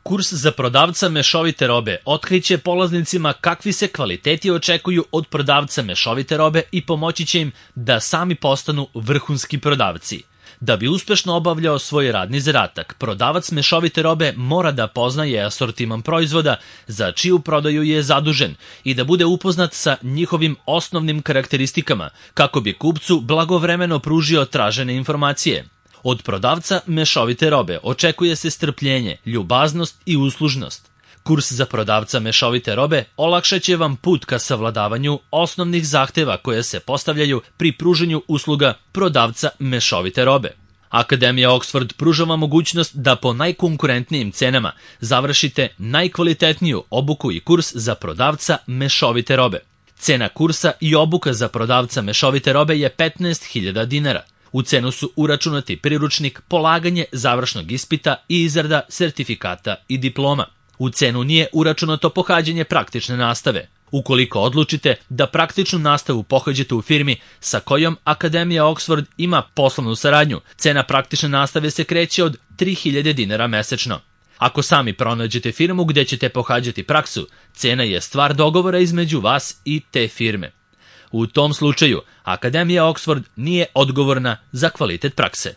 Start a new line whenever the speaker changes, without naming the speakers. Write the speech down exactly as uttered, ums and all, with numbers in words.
Kurs za prodavca mešovite robe otkriće polaznicima kakvi se kvaliteti očekuju od prodavca mešovite robe i pomoći će im da sami postanu vrhunski prodavci. Da bi uspešno obavljao svoj radni zadatak, prodavac mešovite robe mora da poznaje asortiman proizvoda za čiju prodaju je zadužen i da bude upoznat sa njihovim osnovnim karakteristikama kako bi kupcu blagovremeno pružio tražene informacije. Od prodavca mešovite robe očekuje se strpljenje, ljubaznost i uslužnost. Kurs za prodavca mešovite robe olakšaće vam put ka savladavanju osnovnih zahteva koje se postavljaju pri pruženju usluga prodavca mešovite robe. Akademija Oxford pruža vam mogućnost da po najkonkurentnijim cenama završite najkvalitetniju obuku i kurs za prodavca mešovite robe. Cena kursa i obuka za prodavca mešovite robe je petnaest hiljada dinara. U cenu su uračunati priručnik, polaganje završnog ispita i izrada sertifikata i diploma. U cenu nije uračunato pohađanje praktične nastave. Ukoliko odlučite da praktičnu nastavu pohađate u firmi sa kojom Akademija Oxford ima poslovnu saradnju, cena praktične nastave se kreće od tri hiljade dinara mesečno. Ako sami pronađete firmu gde ćete pohađati praksu, cena je stvar dogovora između vas i te firme. U tom slučaju, Akademija Oxford nije odgovorna za kvalitet prakse.